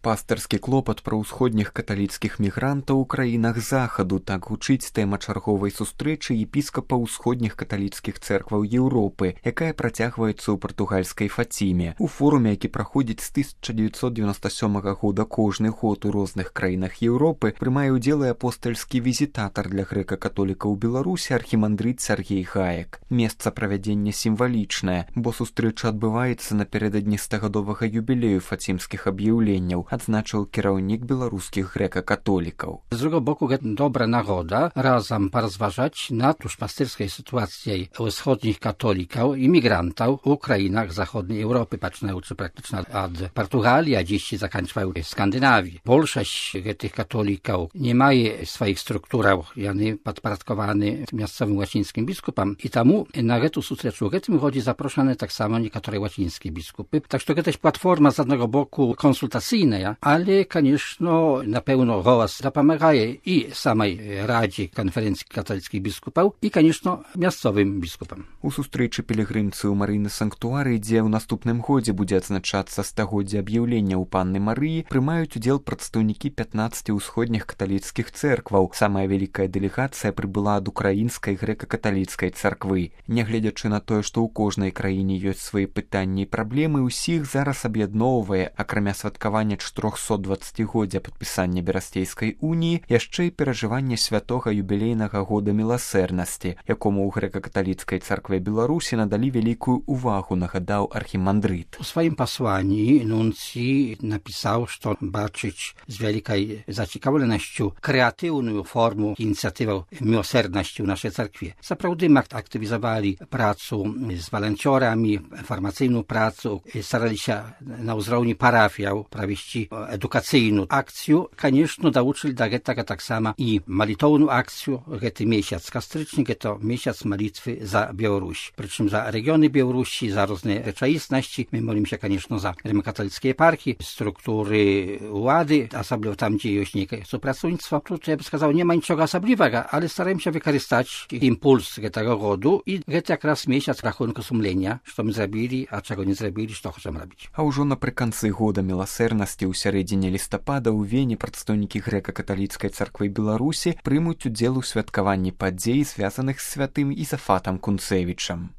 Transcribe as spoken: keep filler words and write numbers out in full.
Пастырскі клопат пра ўсходніх каталіцкіх мігрантаў у краінах захаду, так гучыць тэма чарговай сустрэчы епіскапа ўсходніх каталіцкіх цэркваў Еўропы, якая працягваецца ў партугальскай Фаціме. У форуме, які праходзіць з тысяча дзевяцьсот дзевяноста сёмага года кожны год у розных краінах Еўропы, прымае ўдзел і апостальскі візітатар для грэка-католікаў у Беларусі архімандрыт Сяргей Гаек. Месца правядзення сімвалічнае, бо сустрэча адбываецца напярэдадні стагадовага юбілею фацімскіх аб'яўленняў, адзначыў кіраўнік беларускіх грэка-католікаў. Z drugiego boku dobra nagoda razem porozważać nad duszpasterskiej sytuacją wschodnich katolików, imigrantów w krajach zachodniej Europy, patrząc praktycznie od Portugalii, a dziś się zakończyły w Skandynawii. Większość tych katolików nie ma swoich struktur, one podporządkowane miejscowym łacińskim biskupom i temu na tę sustreczu tym chodzi zaproszone tak samo niektóre łacińskie biskupy. Tak że to jest platforma z jednego boku konsultacyjna, ale, конечно, na pewno głos zapomagaje i samej Radzie Konferencji Katolickich Biskupów i, конечно, miejscowym biskupom. У сустрэчы пілігрымцы ў Марыйны санктуары, дзе ў наступным годзе будзе адзначацца стагоддзе аб'яўлення ў панны Марыі, прымаюць удзел прадстаўнікі пятнаццаці ўсходніх каталіцкіх цэркваў. Самая вялікая дэлегацыя прыбыла ад украінскай грэка-каталіцкай царквы. Нягледзячы на тое, што ў кожнай краіне ёсць свае пытанні і праблемы, усіх зараз аб'ядноўвае, акрамя святкавання чатырохсотдваццацігоддзя падпісання Берасцейскай уніі, яшчэ і перажыванне святога юбілейнага года міласэрнасці, якому ў грэка-каталіцкай царкве Беларусі надалі вялікую увагу, нагадаў архімандрыт. У swoim posłaniu nuncji napisał, że baczyć z wielkiej zaciekawością kreatywną formę inicjatywę miłosierności w naszej cerkwie. Zaprawdę aktywizowali pracę z wolontariami, informacyjną pracę, starali się na uzrowni parafiał провести edukacyjną akcję. Конечно, nauczyli do tego tak samo i malitowną akcję. To miesiąc kastryczny, to miesiąc malitwy za Białoruś. Przyczym za regiony Białorusi, za różne rzeczywistości. My modlimy się, конечно, za rzymskokatolickie eparchie, struktury władzy, особливо tam, gdzie jest niejakie współpracownictwo. Tutaj, ja bym сказał, nie ma niczego osobliwego, ale staramy się wykorzystać impuls tego rodu i to jak raz miesiąc rachunku sumienia, co my zrobili, a czego nie zrobili, co chcemy robić. А ўжо напрыканцы года міласэрнасці ў сярэдзіне лістапада ў Вене прадстаўнікі грэка-каталіцкай царквы Беларусі прымуць удзел у святкаванні падзей, звязаных з святым Ізафатам Кунцевічам.